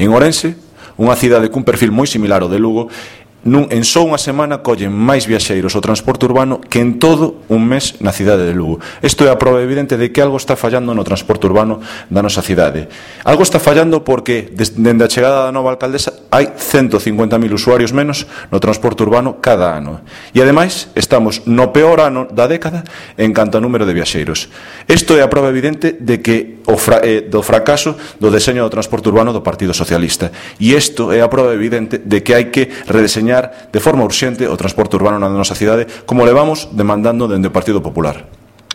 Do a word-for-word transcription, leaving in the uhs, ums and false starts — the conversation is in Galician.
En Ourense, unha cidade cun perfil moi similar ao de Lugo, nun, en só unha semana collen máis viaxeiros o transporte urbano que en todo un mes na cidade de Lugo. Isto é a prova evidente de que algo está fallando no transporte urbano da nosa cidade. Algo está fallando porque dende a chegada da nova alcaldesa hai ciento cincuenta mil usuarios menos no transporte urbano cada ano. E ademais estamos no peor ano da década en canto a número de viaxeiros. Isto é a prova evidente de que o fra, eh, do fracaso do deseño do transporte urbano do Partido Socialista. E isto é a prova evidente de que hai que redeseñar de forma urxente o transporte urbano na nosa cidade, como levamos demandando dende o Partido Popular.